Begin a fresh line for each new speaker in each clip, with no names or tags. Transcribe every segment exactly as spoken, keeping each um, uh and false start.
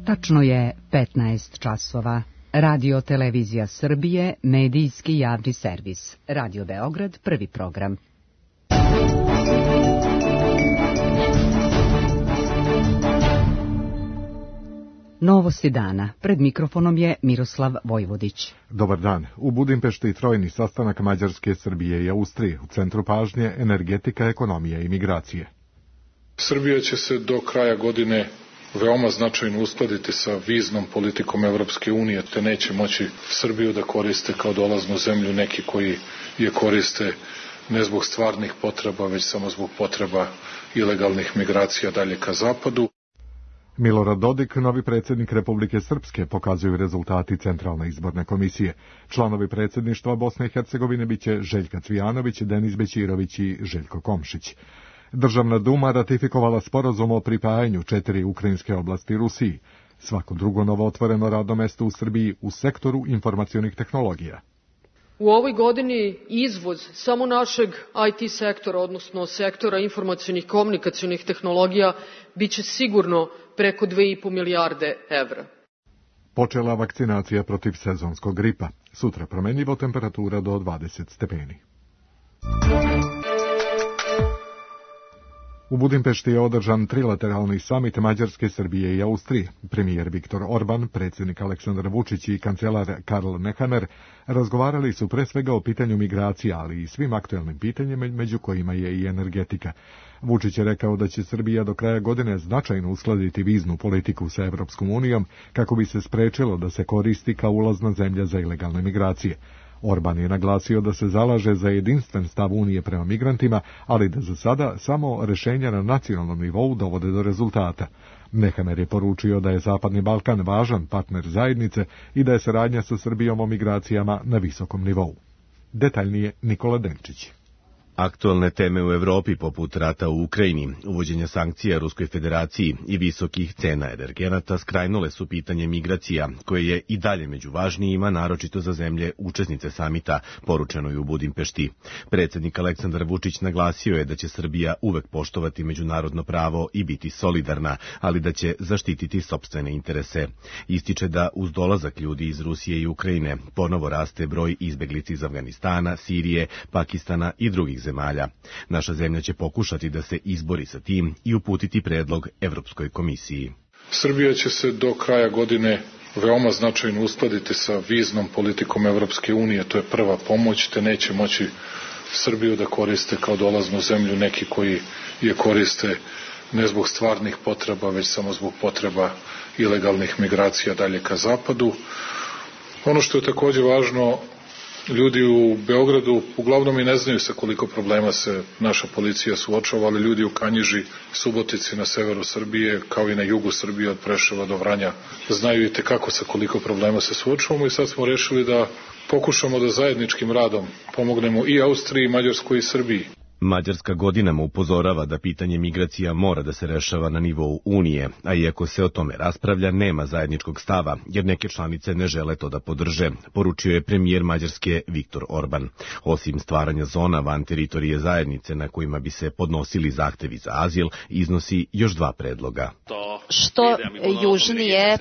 Tačno je petnaest časova. Radio Televizija Srbije, medijski javni servis. Radio Beograd, prvi program. Novosti dana. Pred mikrofonom je Miroslav Vojvodić.
Dobar dan. U Budimpešti trojni sastanak Mađarske, Srbije i Austrije. U centru pažnje energetika, ekonomija i migracije.
Srbija će se do kraja godine veoma značajno uskladiti sa viznom politikom Evropske unije, te neće moći Srbiju da koriste kao dolaznu zemlju neki koji je koriste ne zbog stvarnih potreba, već samo zbog potreba ilegalnih migracija dalje ka zapadu.
Milorad Dodik, novi predsjednik Republike Srpske, pokazuju rezultati Centralne izborne komisije. Članovi predsjedništva Bosne i Hercegovine biće Željka Cvijanović, Denis Bećirović i Željko Komšić. Državna duma ratifikovala sporazum o pripajanju četiri ukrajinske oblasti Rusiji. Svako drugo novo otvoreno radno mesto u Srbiji u sektoru informacionih tehnologija.
U ovoj godini izvoz samo našeg I T sektora, odnosno sektora informacionih i komunikacionih tehnologija, biće sigurno preko dve i po milijarde evra.
Počela vakcinacija protiv sezonskog gripa. Sutra promenljivo, temperatura do dvadeset stepeni. U Budimpešti je održan trilateralni samit Mađarske, Srbije i Austrije. Premijer Viktor Orban, predsjednik Aleksandar Vučić i kancelar Karl Nehammer razgovarali su pre svega o pitanju migracija, ali i svim aktuelnim pitanjima, među kojima je i energetika. Vučić je rekao da će Srbija do kraja godine značajno uskladiti viznu politiku sa Evropskom unijom kako bi se sprečilo da se koristi kao ulazna zemlja za ilegalne migracije. Orban je naglasio da se zalaže za jedinstven stav Unije prema migrantima, ali da za sada samo rešenja na nacionalnom nivou dovode do rezultata. Nehammer je poručio da je Zapadni Balkan važan partner zajednice i da je saradnja sa Srbijom o migracijama na visokom nivou. Detaljnije Nikola Denčić.
Aktualne teme u Evropi poput rata u Ukrajini, uvođenja sankcija Ruskoj federaciji i visokih cena energenata skrajnule su pitanje migracija, koje je i dalje među važnijima, naročito za zemlje učesnice samita, poručeno je u Budimpešti. Predsjednik Aleksandar Vučić naglasio je da će Srbija uvek poštovati međunarodno pravo i biti solidarna, ali da će zaštititi sopstvene interese. Ističe da uz dolazak ljudi iz Rusije i Ukrajine ponovo raste broj izbeglica iz Afganistana, Sirije, Pakistana i drugih zemalja. Naša zemlja će pokušati da se izbori sa tim i uputiti predlog Evropskoj komisiji.
Srbija će se do kraja godine veoma značajno uskladiti sa viznom politikom Evropske unije, to je prva pomoć, te neće moći Srbiju da koriste kao dolaznu zemlju neki koji je koriste ne zbog stvarnih potreba, već samo zbog potreba ilegalnih migracija dalje ka zapadu. Ono što je takođe važno, ljudi u Beogradu uglavnom i ne znaju sa koliko problema se naša policija suočava, ali ljudi u Kanjiži, Subotici na severu Srbije, kao i na jugu Srbije od Preševa do Vranja, znaju i tekako sa koliko problema se suočavamo i sad smo rešili da pokušamo da zajedničkim radom pomognemo i Austriji, i Mađarskoj i Srbiji.
Mađarska godinama upozorava da pitanje migracija mora da se rešava na nivou Unije, a iako se o tome raspravlja, nema zajedničkog stava, jer neke članice ne žele to da podrže, poručio je premijer Mađarske Viktor Orban. Osim stvaranja zona van teritorije zajednice na kojima bi se podnosili zahtevi za azil, iznosi još dva predloga.
Što južnije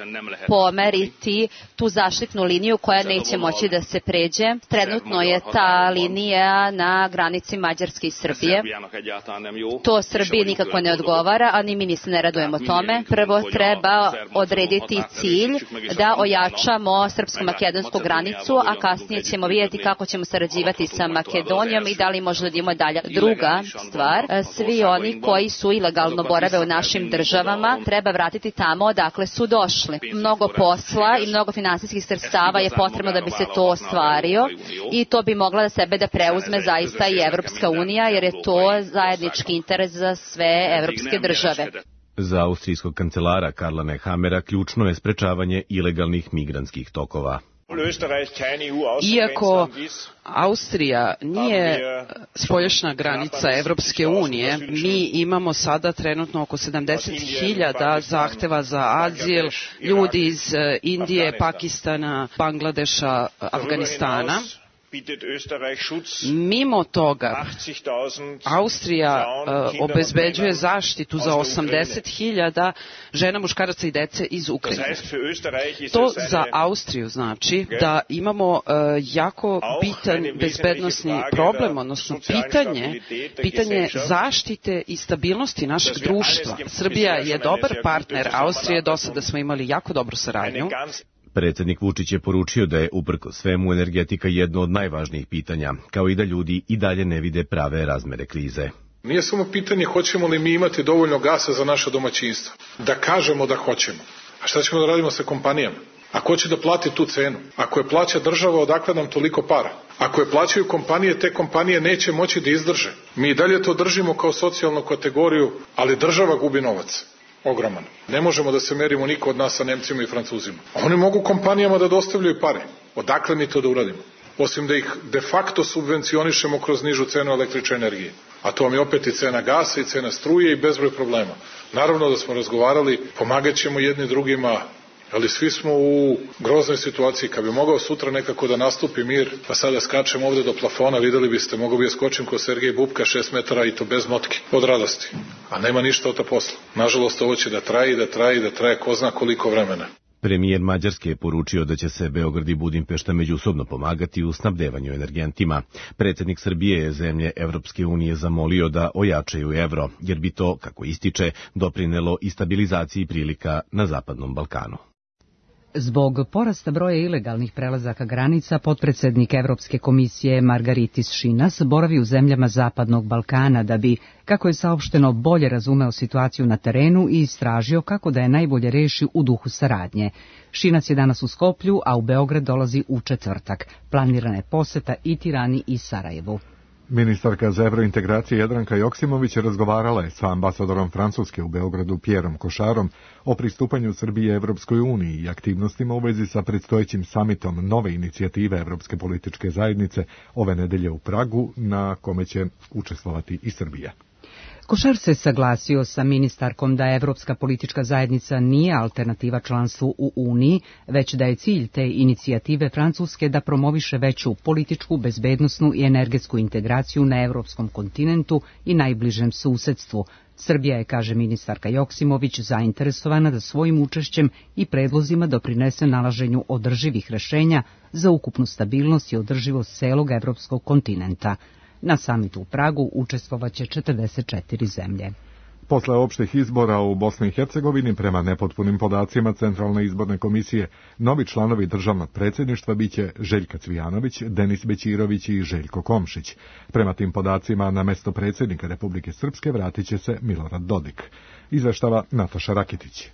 pomeriti tu zaštitnu liniju koja neće moći da se pređe. Trenutno je ta linija na granici Mađarske i Srbije. To Srbiji nikako ne odgovara, a ni mi ni se ne radujemo tome. Prvo treba odrediti cilj da ojačamo srpsko-makedonsku granicu, a kasnije ćemo vidjeti kako ćemo sarađivati sa Makedonijom i da li možda da idemo dalje. Druga stvar, svi oni koji su ilegalno borave u našim državama treba vratiti tamo odakle su došli. Mnogo posla i mnogo finansijskih sredstava je potrebno da bi se to ostvario i to bi mogla da sebe da preuzme zaista i Evropska unija, jer je to zajednički interes za sve evropske države.
Za austrijskog kancelara Karla Nehammera ključno je sprečavanje ilegalnih migrantskih tokova.
Iako Austrija nije spoljašnja granica Evropske unije, mi imamo sada trenutno oko sedamdeset hiljada zahteva za azil, ljudi iz Indije, Pakistana, Bangladeša, Afganistana. Mimo toga, Austrija uh, obezbeđuje zaštitu za osamdeset hiljada žena, muškaraca i dece iz Ukrajine. To za Austriju znači da imamo uh, jako bitan bezbednosni problem, odnosno pitanje, pitanje zaštite i stabilnosti našeg društva. Srbija je dobar partner Austrije, do sada smo imali jako dobru saradnju.
Predsjednik Vučić je poručio da je uprkos svemu energetika jedno od najvažnijih pitanja, kao i da ljudi i dalje ne vide prave razmere krize.
Nije samo pitanje hoćemo li mi imati dovoljno gasa za naše domaćinstvo. Da kažemo da hoćemo. A šta ćemo da radimo sa kompanijama? A ko će da plati tu cenu? Ako je plaća država, odakle nam toliko para? Ako je plaćaju kompanije, te kompanije neće moći da izdrže. Mi i dalje to držimo kao socijalnu kategoriju, ali država gubi novac. Ogroman. Ne možemo da se merimo niko od nas sa Nemcima i Francuzima. Oni mogu kompanijama da dostavljaju pare. Odakle mi to da uradimo? Osim da ih de facto subvencionišemo kroz nižu cenu električne energije. A to vam je opet i cena gasa i cena struje i bezbroj problema. Naravno da smo razgovarali, pomagat ćemo jedni drugima, ali svi smo u groznoj situaciji. Kad bi mogao sutra nekako da nastupi mir, pa sada skačem ovde do plafona, videli biste, mogu bi ja skočim ko Sergej Bubka šest metara i to bez motke, od radosti. A nema ništa od ta posla. Nažalost, ovo će da traje i da traje i da traje ko zna koliko vremena.
Premijer Mađarske je poručio da će se Beograd i Budimpešta međusobno pomagati u snabdevanju energentima. Predsjednik Srbije je zemlje Evropske unije zamolio da ojačaju evro, jer bi to, kako ističe, doprinelo i stabilizaciji prilika na Zapadnom Balkanu.
Zbog porasta broja ilegalnih prelazaka granica, potpredsjednik Evropske komisije Margaritis Šinas boravi u zemljama Zapadnog Balkana da bi, kako je saopšteno, bolje razumeo situaciju na terenu i istražio kako da je najbolje reši u duhu saradnje. Šinas je danas u Skoplju, a u Beograd dolazi u četvrtak. Planirana je poseta i Tirani i Sarajevu.
Ministarka za evrointegracije Jadranka Joksimović razgovarala je sa ambasadorom Francuske u Beogradu Pierom Košarom o pristupanju Srbije Evropskoj uniji i aktivnostima u vezi sa predstojećim samitom nove inicijative Evropske političke zajednice ove nedelje u Pragu, na kome će učestvovati i Srbija.
Košar se saglasio sa ministarkom da Evropska politička zajednica nije alternativa članstvu u Uniji, već da je cilj te inicijative Francuske da promoviše veću političku, bezbednosnu i energetsku integraciju na evropskom kontinentu i najbližem susedstvu. Srbija je, kaže ministarka Joksimović, zainteresovana da svojim učešćem i predlozima doprinese nalaženju održivih rešenja za ukupnu stabilnost i održivost celog evropskog kontinenta. Na samitu u Pragu učestvovaće četrdeset četiri zemlje.
Posle opštih izbora u Bosni i Hercegovini, prema nepotpunim podacima Centralne izborne komisije, novi članovi državnog predsjedništva biće Željka Cvijanović, Denis Bećirović i Željko Komšić. Prema tim podacima, na mesto predsjednika Republike Srpske vratit će se Milorad Dodik. Izveštava Nataša Rakitić.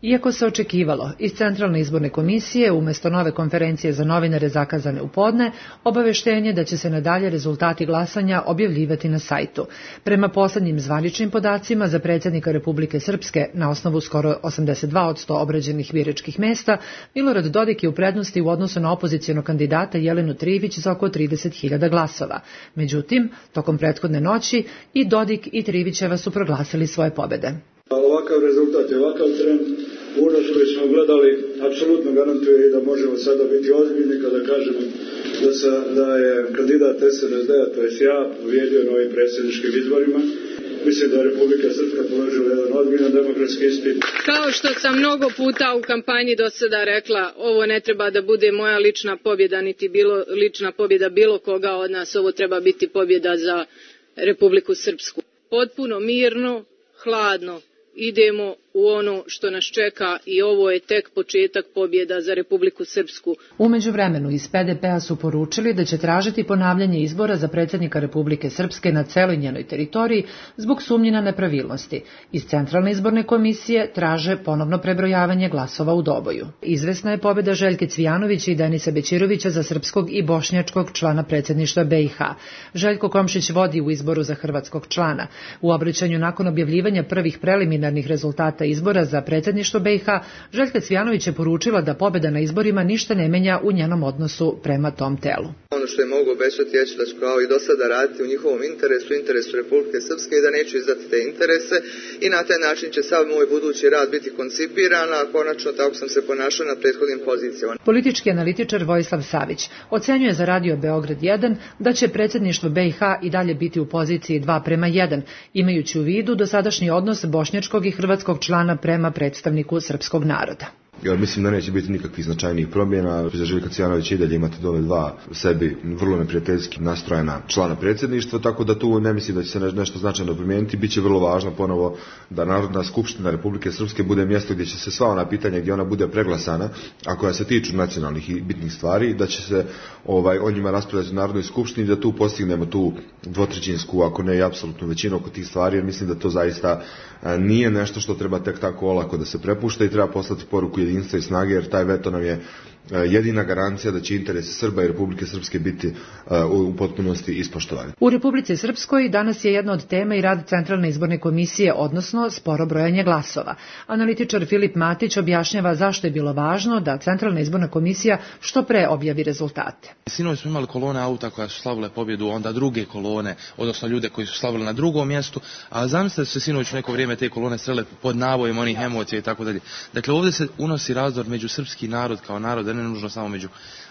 Iako se očekivalo, iz Centralne izborne komisije umjesto nove konferencije za novinare zakazane u podne, obaveštenje da će se nadalje rezultati glasanja objavljivati na sajtu. Prema poslednjim zvaničnim podacima za predsjednika Republike Srpske, na osnovu skoro osamdeset dva posto obrađenih biračkih mesta, Milorad Dodik je u prednosti u odnosu na opozicijonog kandidata Jelenu Trivić za oko trideset hiljada glasova. Međutim, tokom prethodne noći i Dodik i Trivićeva su proglasili svoje pobede.
Ovakav rezultat i ovakav trend, unos koji smo gledali, apsolutno garantuje i da možemo sada biti ozbiljni kada kažemo da, sa, da je kandidat S N S D-a, to je ja, pobjedio na ovim predsjedničkim izborima. Mislim da je Republika Srpska položila jedan ozbiljan demokratski ispit.
Kao što sam mnogo puta u kampanji do sada rekla, ovo ne treba da bude moja lična pobjeda, niti bilo, lična pobjeda bilo koga od nas, ovo treba biti pobjeda za Republiku Srpsku. Potpuno mirno, hladno idemo u ono što nas čeka i ovo je tek početak pobjeda za Republiku Srpsku.
U međuvremenu iz P D P-a su poručili da će tražiti ponavljanje izbora za predsjednika Republike Srpske na celoj njenoj teritoriji zbog sumnji na nepravilnosti. Iz Centralne izborne komisije traže ponovno prebrojavanje glasova u Doboju. Izvesna je pobjeda Željke Cvijanovića i Denisa Bećirovića za srpskog i bošnjačkog člana predsjedništva B i H. Željko Komšić vodi u izboru za hrvatskog člana. U obraćanju nakon objavljivanja prvih preliminarnih preliminarnih rezultata izbora za predsjedništvo B i H, Željka Cvijanović je poručila da pobjeda na izborima ništa ne menja u njenom odnosu prema tom telu.
Ono što je mogu obećati je da ću kao i do sada raditi u njihovom interesu, interesu Republike Srpske i da neću izdati te interese i na taj način će sav moj budući rad biti koncipiran, a konačno tako sam se ponašao na prethodnim pozicijama.
Politički analitičar Vojislav Savić ocenjuje za Radio Beograd jedan da će predsjedništvo B i H i dalje biti u poziciji dva prema jedan, imajući u vidu dosadašnji odnos bošnjačkog i hrvatskog člana prema predstavniku srpskog naroda.
Ja mislim da neće biti nikakvih značajnijih promjena. Za Željka Cvijanovića i dalje imate dole dva sebi vrlo neprijateljski nastrojena člana predsjedništva, tako da tu ne mislim da će se nešto značajno promijeniti. Biće vrlo važno ponovo da Narodna skupština Republike Srpske bude mjesto gdje će se sva ona pitanja gdje ona bude preglasana, a koja se tiču nacionalnih i bitnih stvari, da će se ovaj, o njima raspravljati u Narodnoj skupštini, da tu postignemo tu dvotrećinsku, ako ne i apsolutnu većinu oko tih stvari, jer mislim da to zaista nije nešto što treba tek tako olako da se prepušta i treba poslati poruku jedinstva i snage, jer taj veto nam je jedina garancija da će interesi Srba i Republike Srpske biti u potpunosti ispoštovani.
U Republici Srpskoj danas je jedna od tema i rad Centralne izborne komisije, odnosno sporo brojanje glasova. Analitičar Filip Matić objašnjava zašto je bilo važno da Centralna izborna komisija što pre objavi rezultate.
Sinoć smo imali kolone auta koja su slavile pobjedu, onda druge kolone, odnosno ljude koji su slavili na drugom mjestu, a zamislite da su se sinoć u neko vrijeme te kolone srele pod navojem onih emocija i tako dalje. Dakle, ovdje se unosi razdor među srpski narod kao narod, ne nužno samo među,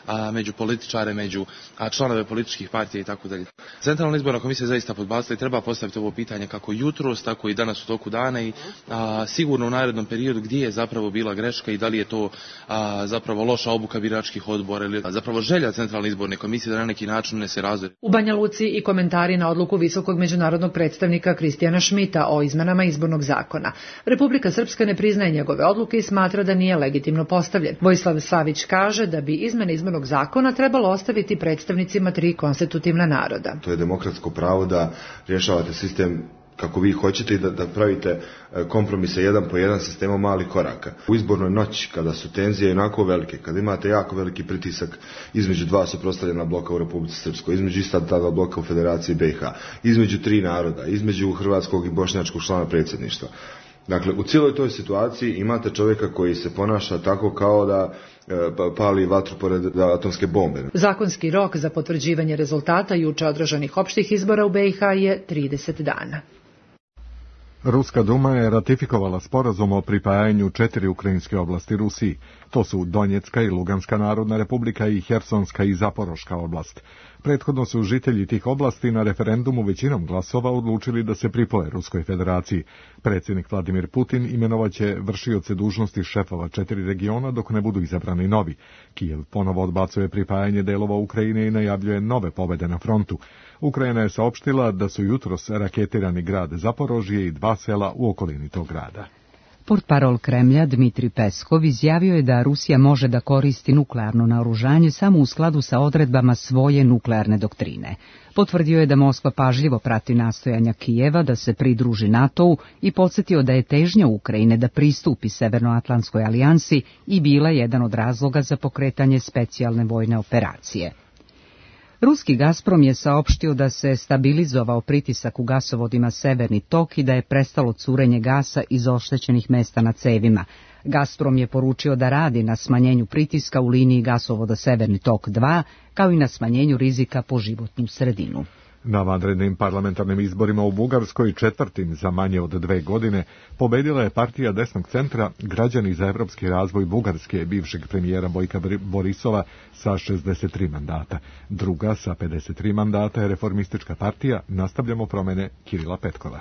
a, među političare, među a, članove političkih partija i tako dalje. Centralna izborna komisija zaista podbacila i treba postaviti ovo pitanje kako jutros, tako i danas u toku dana i a, sigurno u narednom periodu gdje je zapravo bila greška i da li je to a, zapravo loša obuka biračkih odbora ili a, zapravo želja Centralne izborne komisije da na neki način unese razdor.
U Banja Luci i komentari na odluku visokog međunarodnog predstavnika Kristijana Šmita o izmenama izbornog zakona. Republika Srpska ne priznaje njegove odluke i smatra da nije legitimno postavljen. Vojislav Savić kaže da bi izmene izbornog zakona trebalo ostaviti predstavnicima tri konstitutivna naroda.
To je demokratsko pravo da rješavate sistem kako vi hoćete i da, da pravite kompromise jedan po jedan sistemom malih koraka. U izbornoj noći, kada su tenzije jednako velike, kada imate jako veliki pritisak između dva suprotstavljena bloka u Republici Srpskoj, između ista dva bloka u Federaciji B i H, između tri naroda, između hrvatskog i bošnjačkog člana predsjedništva. Dakle, u cijeloj toj situaciji imate čovjeka koji se ponaša tako kao da pali vatru pored atomske bombe.
Zakonski rok za potvrđivanje rezultata juče održanih opštih izbora u B i H je trideset dana.
Ruska Duma je ratifikovala sporazum o pripajanju četiri ukrajinske oblasti Rusiji. To su Donjecka i Luganska narodna republika i Hersonska i Zaporoška oblast. Prethodno su žitelji tih oblasti na referendumu većinom glasova odlučili da se pripoje Ruskoj federaciji. Predsjednik Vladimir Putin imenovaće vršioce dužnosti šefova četiri regiona dok ne budu izabrani novi. Kijev ponovo odbacuje pripajanje delova Ukrajine i najavljuje nove pobjede na frontu. Ukrajina je saopštila da su jutros raketirani grad Zaporožje i dva sela u okolini tog grada.
Portparol Kremlja Dmitri Peskov izjavio je da Rusija može da koristi nuklearno naoružanje samo u skladu sa odredbama svoje nuklearne doktrine. Potvrdio je da Moskva pažljivo prati nastojanja Kijeva da se pridruži NATO-u i podsjetio da je težnja Ukrajine da pristupi Severnoatlantskoj alijansi i bila jedan od razloga za pokretanje specijalne vojne operacije. Ruski Gazprom je saopštio da se stabilizovao pritisak u gasovodima Severni tok i da je prestalo curenje gasa iz oštećenih mesta na cevima. Gazprom je poručio da radi na smanjenju pritiska u liniji gasovoda Severni tok dva, kao i na smanjenju rizika po životnu sredinu.
Na vanrednim parlamentarnim izborima u Bugarskoj, četvrtim za manje od dve godine, pobedila je partija desnog centra Građani za evropski razvoj Bugarske bivšeg premijera Bojka Borisova sa šezdeset tri mandata. Druga sa pedeset tri mandata je Reformistička partija Nastavljamo promjene Kirila Petkova.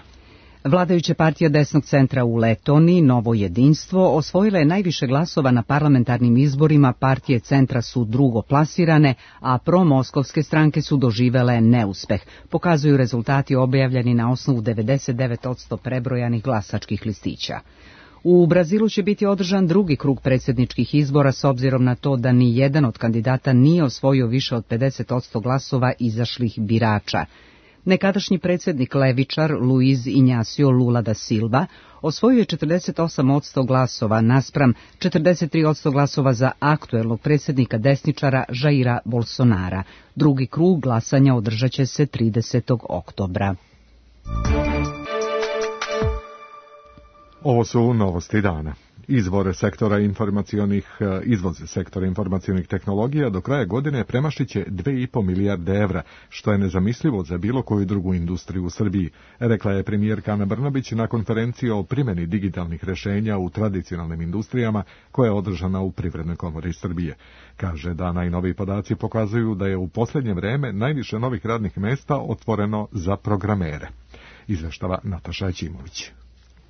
Vladajuća partija desnog centra u Letoniji, Novo jedinstvo, osvojila je najviše glasova na parlamentarnim izborima, partije centra su drugo plasirane, a promoskovske stranke su doživele neuspeh, pokazuju rezultati objavljeni na osnovu devedeset devet posto prebrojanih glasačkih listića. U Brazilu će biti održan drugi krug predsjedničkih izbora s obzirom na to da ni jedan od kandidata nije osvojio više od pedeset posto glasova izašlih birača. Nekadašnji predsjednik levičar Luiz Inácio Lula da Silva osvojio je četrdeset osam posto glasova naspram četrdeset tri posto glasova za aktuelnog predsjednika desničara Jaira Bolsonara. Drugi krug glasanja održat će se tridesetog oktobra.
Ovo su novosti dana. Izvore sektora informacionih, izvoz sektora informacionih tehnologija do kraja godine premašit će dve i po milijarde evra, što je nezamislivo za bilo koju drugu industriju u Srbiji, rekla je premijerka Ana Brnabić na konferenciji o primjeni digitalnih rešenja u tradicionalnim industrijama koja je održana u Privrednoj komori Srbije. Kaže da najnoviji podaci pokazuju da je u posljednje vreme najviše novih radnih mesta otvoreno za programere. Izveštava Nataša Ćimović.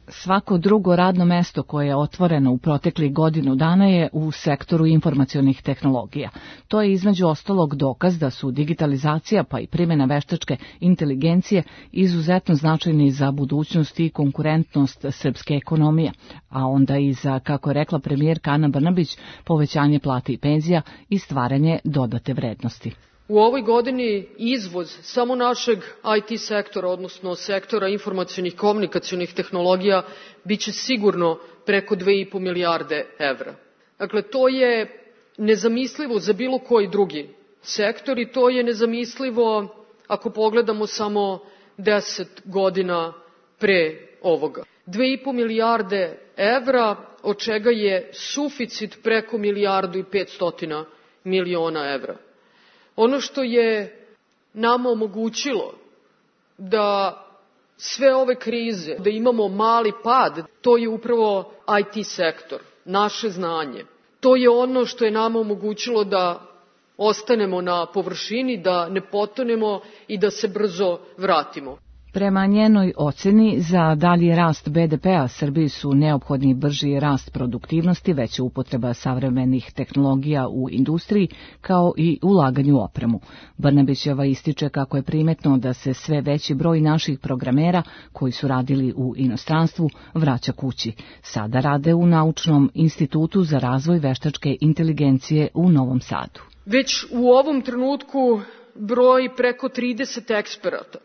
Svako drugo radno mesto koje je otvoreno u proteklih godinu dana je u sektoru informacionih tehnologija. To je između ostalog dokaz da su digitalizacija pa i primjena veštačke inteligencije izuzetno značajni za budućnost i konkurentnost srpske ekonomije, a onda i za, kako je rekla premijerka Ana Brnabić, povećanje plata i penzija i stvaranje dodate vrednosti.
U ovoj godini izvoz samo našeg I T sektora, odnosno sektora informacionih komunikacionih tehnologija, biće sigurno preko dve i po milijarde evra. Dakle, to je nezamislivo za bilo koji drugi sektor i to je nezamislivo ako pogledamo samo deset godina pre ovoga. Dve i po milijarde evra, od čega je suficit preko milijardu i petstotina miliona evra. Ono što je nama omogućilo da sve ove krize, da imamo mali pad, to je upravo I T sektor, naše znanje. To je ono što je nama omogućilo da ostanemo na površini, da ne potonemo i da se brzo vratimo.
Prema njenoj oceni, za dalji rast B D P-a Srbiji su neophodni brži rast produktivnosti, veća upotreba savremenih tehnologija u industriji, kao i ulaganju u opremu. Brnabićeva ističe kako je primetno da se sve veći broj naših programera koji su radili u inostranstvu vraća kući. Sada rade u Naučnom institutu za razvoj veštačke inteligencije u Novom Sadu.
Već u ovom trenutku broj preko trideset eksperata,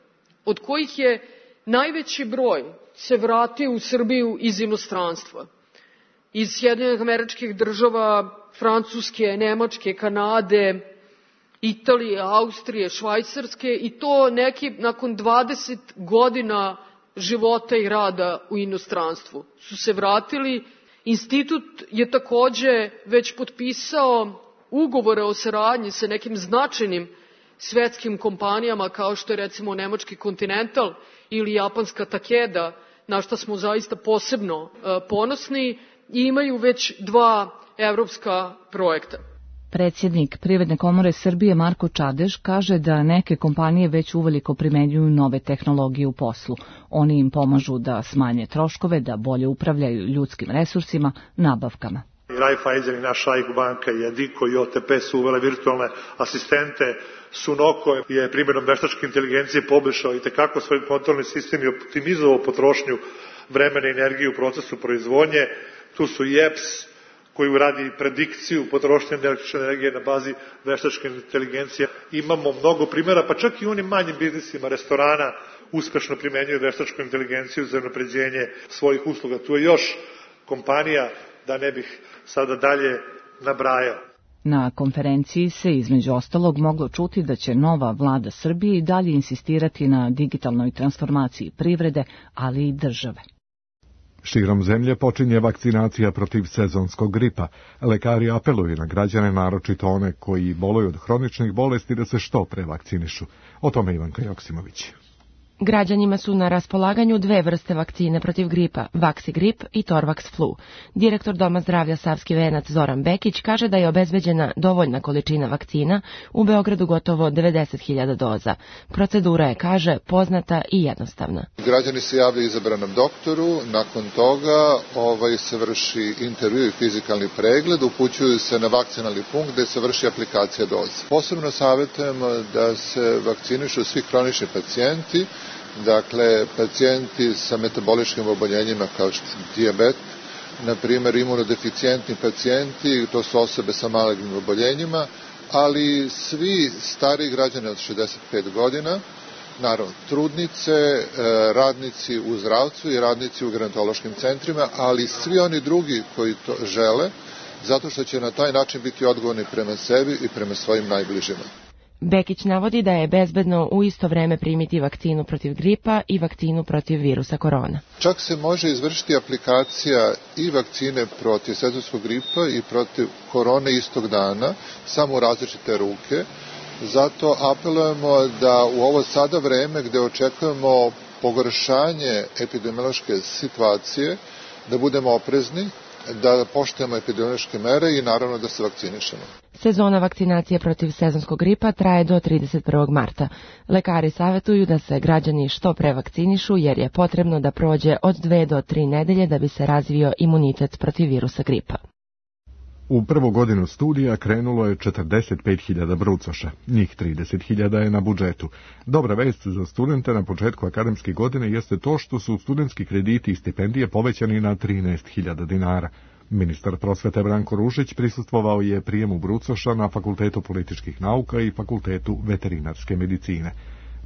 od kojih je najveći broj se vratio u Srbiju iz inostranstva. Iz Sjedinjenih Američkih Država, Francuske, Nemačke, Kanade, Italije, Austrije, Švajcarske i to neki nakon dvadeset godina života i rada u inostranstvu su se vratili. Institut je takođe već potpisao ugovore o saradnji sa nekim značajnim svetskim kompanijama kao što je recimo nemački Continental ili japanska Takeda, na što smo zaista posebno ponosni i imaju već dva evropska projekta.
Predsjednik Privredne komore Srbije Marko Čadež kaže da neke kompanije već uveliko primenjuju nove tehnologije u poslu. Oni im pomažu da smanje troškove, da bolje upravljaju ljudskim resursima, nabavkama.
Raiffeisen i naša A I K banka i Adiko i O T P su uvele virtualne asistente. Sunoko je primjenom veštačke inteligencije poboljšao i tekako svoj kontrolni sistem i optimizovao potrošnju vremena i energije u procesu proizvodnje. Tu su i E P S koji radi predikciju potrošnje električne energije na bazi veštačke inteligencije. Imamo mnogo primjera, pa čak i u onim manjim biznisima restorana uspešno primenjuju veštačku inteligenciju za unapređenje svojih usluga. Tu je još kompanija, da ne bih sada dalje nabrajao.
Na konferenciji se između ostalog moglo čuti da će nova vlada Srbije i dalje insistirati na digitalnoj transformaciji privrede, ali i države.
Širom zemlje počinje vakcinacija protiv sezonskog gripa. Lekari apeluju na građane, naročito one koji boluju od hroničnih bolesti, da se što pre vakcinišu. O tome Ivanka Joksimović.
Građanima su na raspolaganju dve vrste vakcine protiv gripa, Vaxigrip i Torvax Flu. Direktor Doma zdravlja Savski Venac Zoran Bekić kaže da je obezbeđena dovoljna količina vakcina, u Beogradu gotovo devedeset hiljada doza. Procedura je, kaže, poznata i jednostavna.
Građani se javljaju izabranom doktoru, nakon toga ovaj, se vrši intervju i fizikalni pregled, upućuju se na vakcinalni punkt gde se vrši aplikacija doze. Posebno savjetujemo da se vakcinišu svi hronični pacijenti, dakle, pacijenti sa metaboličkim oboljenjima kao što je dijabet, na primjer imunodeficijentni pacijenti, to su osobe sa malignim oboljenjima, ali svi stari građani od šezdeset pet godina, naravno trudnice, radnici u zdravstvu i radnici u gerontološkim centrima, ali svi oni drugi koji to žele, zato što će na taj način biti odgovorni prema sebi i prema svojim najbližima.
Bekić navodi da je bezbedno u isto vreme primiti vakcinu protiv gripa i vakcinu protiv virusa korona.
Čak se može izvršiti aplikacija i vakcine protiv sezonskog gripa i protiv korone istog dana, samo u različite ruke. Zato apelujemo da u ovo sada vreme gde očekujemo pogoršanje epidemiološke situacije, da budemo oprezni, da poštujemo epidemiološke mere i naravno da se vakcinišemo.
Sezona vakcinacije protiv sezonskog gripa traje do trideset prvog marta. Lekari savjetuju da se građani što pre vakcinišu jer je potrebno da prođe od dve do tri nedelje da bi se razvio imunitet protiv virusa gripa.
U prvu godinu studija krenulo je četrdeset pet hiljada brucoša, njih trideset hiljada je na budžetu. Dobra vest za studente na početku akademske godine jeste to što su studentski krediti i stipendije povećani na trinaest hiljada dinara. Ministar prosvete Branko Ružić prisustvovao je prijemu brucoša na Fakultetu političkih nauka i Fakultetu veterinarske medicine.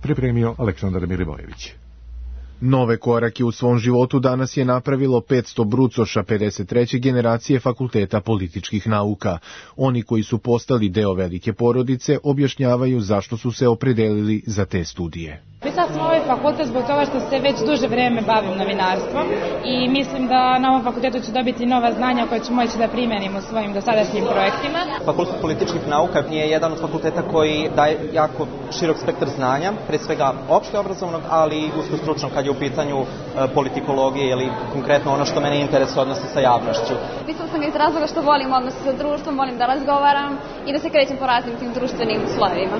Pripremio Aleksandar Milivojević.
Nove korake u svom životu danas je napravilo petsto brucoša pedeset treće generacije Fakulteta političkih nauka. Oni koji su postali deo velike porodice objašnjavaju zašto su se opredelili za te studije.
Upisala sam ovaj fakultet zbog toga što se već duže vreme bavim novinarstvom i mislim da na ovom fakultetu ću dobiti nova znanja koje ću moći da primenim u svojim dosadašnjim projektima.
Fakultet političkih nauka je jedan od fakulteta koji daje jako širok spektar znanja, pre svega opšte obrazovnog, ali i usko stručnog kad je u pitanju politikologije ili konkretno ono što mene interesuje odnosi sa javnošću.
Upisala sam ga iz razloga što volim odnos sa društvom, volim da razgovaram i da se krećem po raznim tim društvenim slojevima.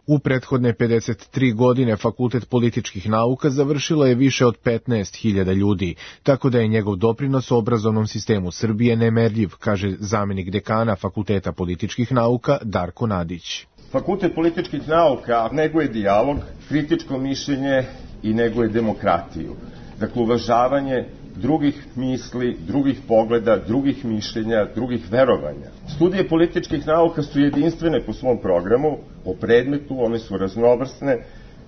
U prethodne pedeset tri godine Fakultet političkih nauka završilo je više od petnaest hiljada ljudi, tako da je njegov doprinos obrazovnom sistemu Srbije nemerljiv, kaže zamenik dekana Fakulteta političkih nauka Darko Nadić.
Fakultet političkih nauka neguje dijalog, kritičko mišljenje i neguje demokratiju. Dakle, uvažavanje drugih misli, drugih pogleda, drugih mišljenja, drugih verovanja. Studije političkih nauka su jedinstvene po svom programu, po predmetu, one su raznovrsne,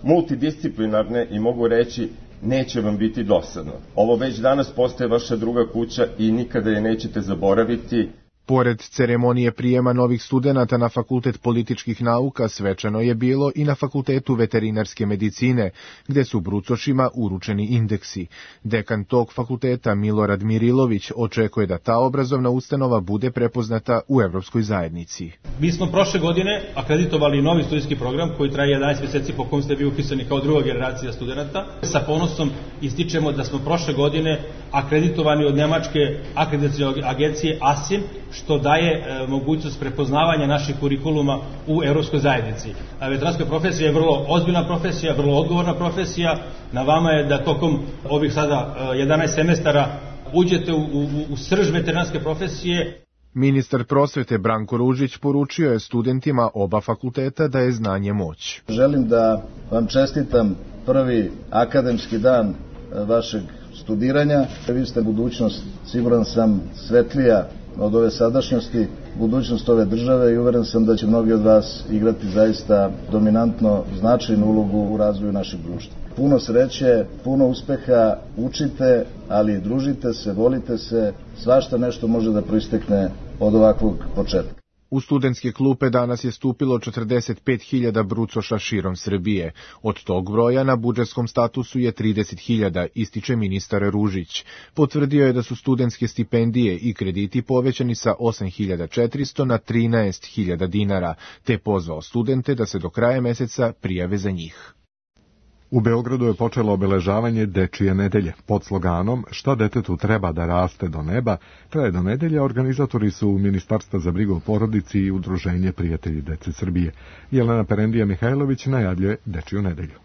multidisciplinarne i mogu reći neće vam biti dosadno. Ovo već danas postaje vaša druga kuća i nikada je nećete zaboraviti.
Pored ceremonije prijema novih studenata na Fakultet političkih nauka, svečano je bilo i na Fakultetu veterinarske medicine, gde su brucošima uručeni indeksi. Dekan tog fakulteta Milorad Mirilović očekuje da ta obrazovna ustanova bude prepoznata u evropskoj zajednici.
Mi smo prošle godine akreditovali novi studijski program koji traje jedanaest mjeseci po kom ste bili upisani kao druga generacija studenta. Sa ponosom ističemo da smo prošle godine akreditovani od Nemačke akreditacione agencije ASIM, što daje e, mogućnost prepoznavanja naših kurikuluma u evropskoj zajednici. A veteranska profesija je vrlo ozbiljna profesija, vrlo odgovorna profesija. Na vama je da tokom ovih sada e, jedanaest semestara uđete u, u, u srž veterinarske profesije.
Ministar prosvete Branko Ružić poručio je studentima oba fakulteta da je znanje moć.
Želim da vam čestitam prvi akademski dan vašeg studiranja. Vi ste budućnost, siguran sam, svetlija od ove sadašnjosti, budućnost ove države i uveren sam da će mnogi od vas igrati zaista dominantno značajnu ulogu u razvoju našeg društva. Puno sreće, puno uspeha, učite, ali družite se, volite se, svašta nešto može da proistekne od ovakvog početka.
U studentske klupe danas je stupilo četrdeset pet hiljada brucoša širom Srbije. Od tog broja na budžetskom statusu je trideset hiljada, ističe ministar Ružić. Potvrdio je da su studentske stipendije i krediti povećani sa osam hiljada četiristo na trinaest hiljada dinara, te pozvao studente da se do kraja meseca prijave za njih.
U Beogradu je počelo obeležavanje Dečije nedelje. Pod sloganom "Šta detetu treba da raste do neba" traje do nedelje. Organizatori su Ministarstva za brigu o porodici i Udruženje Prijatelji dece Srbije. Jelena Perendija Mihajlović najavljuje Dečiju nedelju.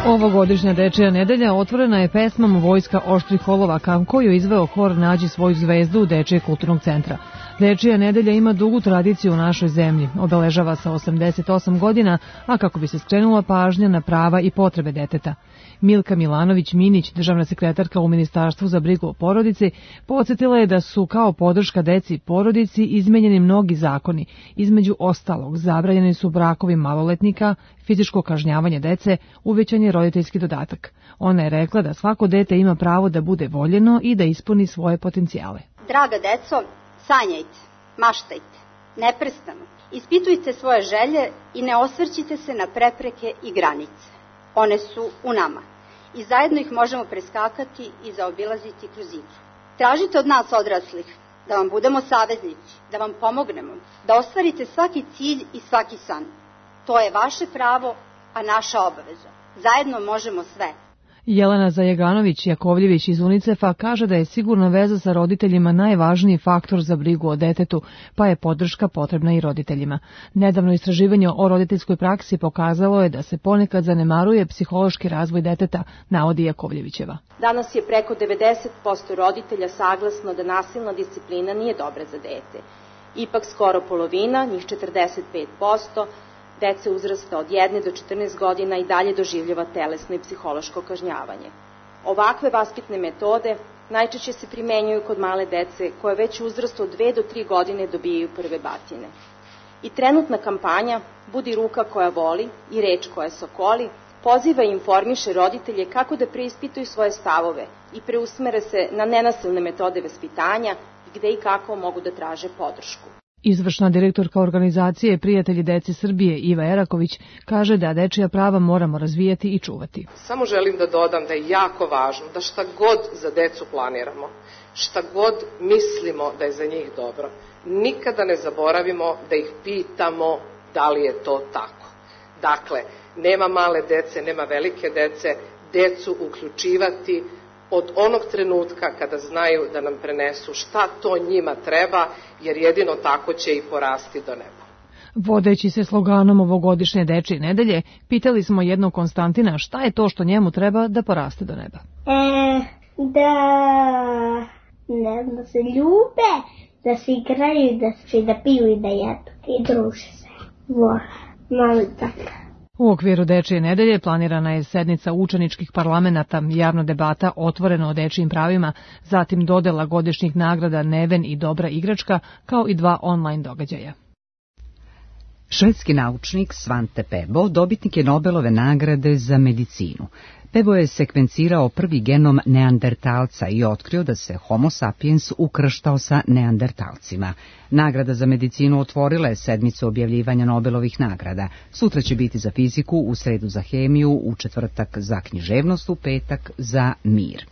Ovogodišnja Dečija nedelja otvorena je pesmom Vojska oštrih olovaka, koju izveo hor Nađi svoju zvezdu Dečijeg kulturnog centra.
Dečija nedelja ima dugu tradiciju u našoj zemlji, obeležava se osamdeset osam godina, a kako bi se skrenula pažnja na prava i potrebe deteta. Milka Milanović-Minić, državna sekretarka u Ministarstvu za brigu o porodici, podsjetila je da su kao podrška deci i porodici izmenjeni mnogi zakoni. Između ostalog, zabranjeni su brakovi maloletnika, fizičko kažnjavanje dece, uvećan je roditeljski dodatak. Ona je rekla da svako dete ima pravo da bude voljeno i da ispuni svoje potencijale.
Draga deco, sanjajte, maštajte, neprestano. Ispitujte svoje želje i ne osvrćite se na prepreke i granice. One su u nama i zajedno ih možemo preskakati i zaobilaziti kroz igru. Tražite od nas odraslih da vam budemo saveznici, da vam pomognemo, da ostvarite svaki cilj i svaki san. To je vaše pravo, a naša obaveza. Zajedno možemo sve.
Jelena Zajeganović-Jakovljević iz UNICEF-a kaže da je sigurna veza sa roditeljima najvažniji faktor za brigu o detetu, pa je podrška potrebna i roditeljima. Nedavno istraživanje o roditeljskoj praksi pokazalo je da se ponekad zanemaruje psihološki razvoj deteta, navodi Jakovljevićeva.
Danas je preko devedeset posto roditelja saglasno da nasilna disciplina nije dobra za dete. Ipak skoro polovina, njih četrdeset pet posto, dece uzrasta od jedne do četrnaest godina i dalje doživljava telesno i psihološko kažnjavanje. Ovakve vaspitne metode najčešće se primenjuju kod male dece koje već u uzrastu od dve do tri godine dobijaju prve batine. I trenutna kampanja Budi ruka koja voli i reč koja sokoli poziva i informiše roditelje kako da preispituju svoje stavove i preusmere se na nenasilne metode vaspitanja i gde i kako mogu da traže podršku.
Izvršna direktorka organizacije Prijatelji dece Srbije Iva Eraković kaže da dečija prava moramo razvijati i čuvati.
Samo želim da dodam da je jako važno da šta god za decu planiramo, šta god mislimo da je za njih dobro, nikada ne zaboravimo da ih pitamo da li je to tako. Dakle, nema male dece, nema velike dece, decu uključivati od onog trenutka kada znaju da nam prenesu šta to njima treba, jer jedino tako će i porasti do neba.
Vodeći se sloganom ovogodišnje dečije nedelje, pitali smo jednog Konstantina šta je to što njemu treba da poraste do neba.
E, da, ne, da se ljube, da se igraju, da se da piju i da jedu i druže se. Vola, malo tako.
U okviru dečije nedelje planirana je sednica učeničkih parlamenata, javna debata otvoreno o dečijim pravima, zatim dodela godišnjih nagrada Neven i Dobra igračka, kao i dva online događaja.
Švedski naučnik Svante Pääbo dobitnik je Nobelove nagrade za medicinu. Pääbo je sekvencirao prvi genom neandertalca i otkrio da se Homo sapiens ukrštao sa neandertalcima. Nagrada za medicinu otvorila je sedmicu objavljivanja Nobelovih nagrada. Sutra će biti za fiziku, u sredu za hemiju, u četvrtak za književnost, u petak za mir.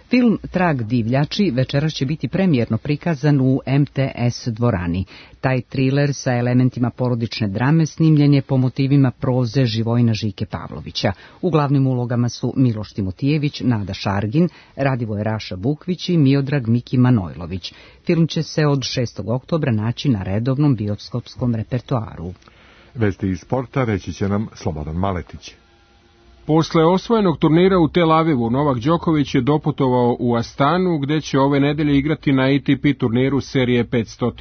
Film Trag divljači večeras će biti premijerno prikazan u M T S dvorani. Taj triler sa elementima porodične drame snimljen je po motivima proze Živojina Žike Pavlovića. U glavnim ulogama su Miloš Timotijević, Nada Šargin, Radivoje Raša Bukvić i Miodrag Miki Manojlović. Film će se od šestog oktobra naći na redovnom bioskopskom repertoaru.
Vesti iz sporta reći će nam Slobodan Maletić.
Posle osvojenog turnira u Tel Avivu, Novak Đoković je doputovao u Astanu, gde će ove nedelje igrati na A T P turniru serije petsto.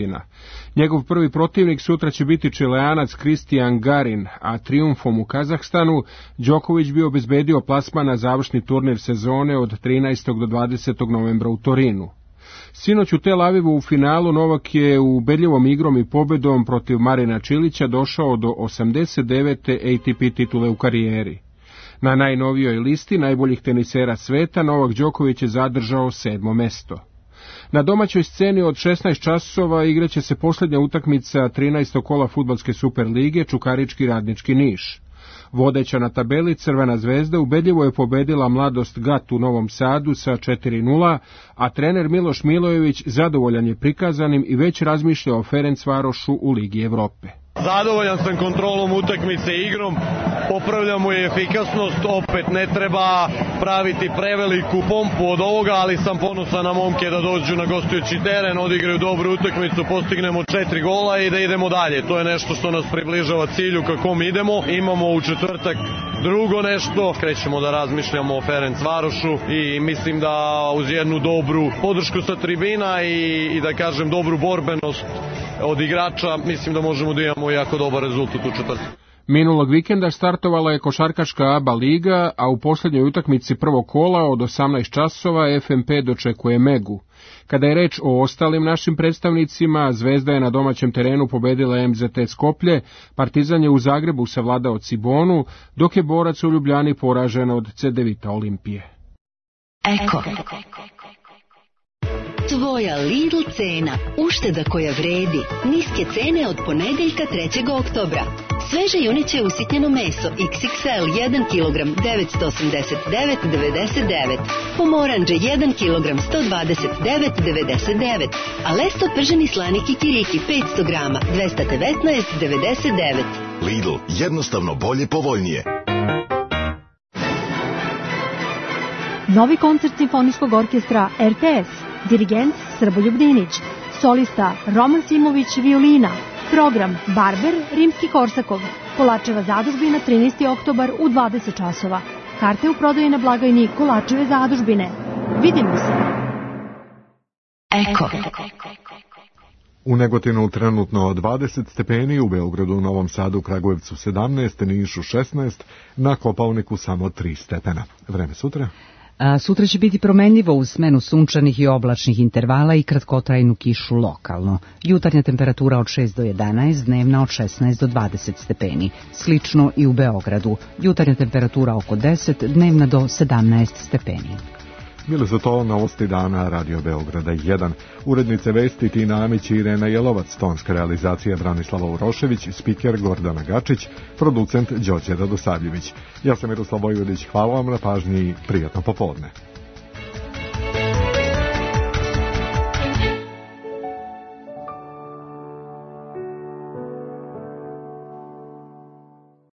Njegov prvi protivnik sutra će biti Čileanac Kristijan Garin, a trijumfom u Kazahstanu Đoković bi obezbedio plasman na završni turnir sezone od trinaestog do dvadesetog novembra u Torinu. Sinoć u Tel Avivu u finalu Novak je ubedljivom igrom i pobedom protiv Marina Čilića došao do osamdeset devete A T P titule u karijeri. Na najnovijoj listi najboljih tenisera sveta Novak Đoković je zadržao sedmo mesto. Na domaćoj sceni od šesnaest časova igraće se posljednja utakmica trinaestog kola fudbalske Superlige Čukarički Radnički Niš. Vodeća na tabeli Crvena zvezda ubedljivo je pobedila Mladost Gat u Novom Sadu sa četiri nula, a trener Miloš Milojević zadovoljan je prikazanim i već razmišlja o Ferencvarošu u Ligi Evrope.
Zadovoljan sam kontrolom utakmice i igrom, popravljamo i efikasnost, opet ne treba praviti preveliku pompu od ovoga, ali sam ponosan na momke da dođu na gostujući teren, odigraju dobru utakmicu, postignemo četiri gola i da idemo dalje. To je nešto što nas približava cilju kako mi idemo. Imamo u četvrtak drugo nešto, krećemo da razmišljamo o Ferencvarošu i mislim da uz jednu dobru podršku sa tribina i, i da kažem dobru borbenost od igrača, mislim da možemo da imamo jako dobar rezultat u četvrtak.
Minulog vikenda startovala je košarkaška A B A liga, a u posljednjoj utakmici prvog kola od osamnaest časova F M P dočekuje Megu. Kada je reč o ostalim našim predstavnicima, Zvezda je na domaćem terenu pobedila M Z T Skoplje, Partizan je u Zagrebu savladao Cibonu, dok je Borac u Ljubljani poražen od Cedevita Olimpije.
Eko. Tvoja Lidl cena, ušteda koja vredi, niske cene od ponedeljka trećeg oktobra. Sveže juneće usitnjeno meso iks iks el jedan kilogram devetsto osamdeset devet zarez devedeset devet, pomoranđe jedan kilogram sto dvadeset devet zarez devedeset devet, a lesto prženi slani kikiriki petsto grama dvesta devetnaest zarez devedeset devet.
Lidl, jednostavno bolje, povoljnije.
Novi koncert Simfonijskog orkestra er te es, dirigent Srboljub Dinić, solista Roman Simović violina, program Barber Rimski-Korsakov, Kolačeva zadužbina trinaesti oktobar u dvadeset časova. Karte u prodaji na blagajni Kolačeve zadužbine. Vidimo se!
Eko.
U Negotinu trenutno dvadeset stepeni, u Beogradu, Novom Sadu, Kragujevcu sedamnaest, Nišu šesnaest, na Kopaoniku samo tri stepena. Vreme sutra?
A sutra će biti promenljivo uz smenu sunčanih i oblačnih intervala i kratkotrajnu kišu lokalno. Jutarnja temperatura od šest do jedanaest, dnevna od šesnaest do dvadeset stepeni. Slično i u Beogradu. Jutarnja temperatura oko deset, dnevna do sedamnaest stepeni.
Bili su to novosti dana Radio Beograda jedan. Urednice vesti Tina Amić i Irena Jelovac, tonska realizacija Branislava Urošević, spiker Gordana Gačić, producent Đorđe Radosavljević. Ja sam Miroslav Vojvodić, hvala vam na pažnji i prijatno popodne.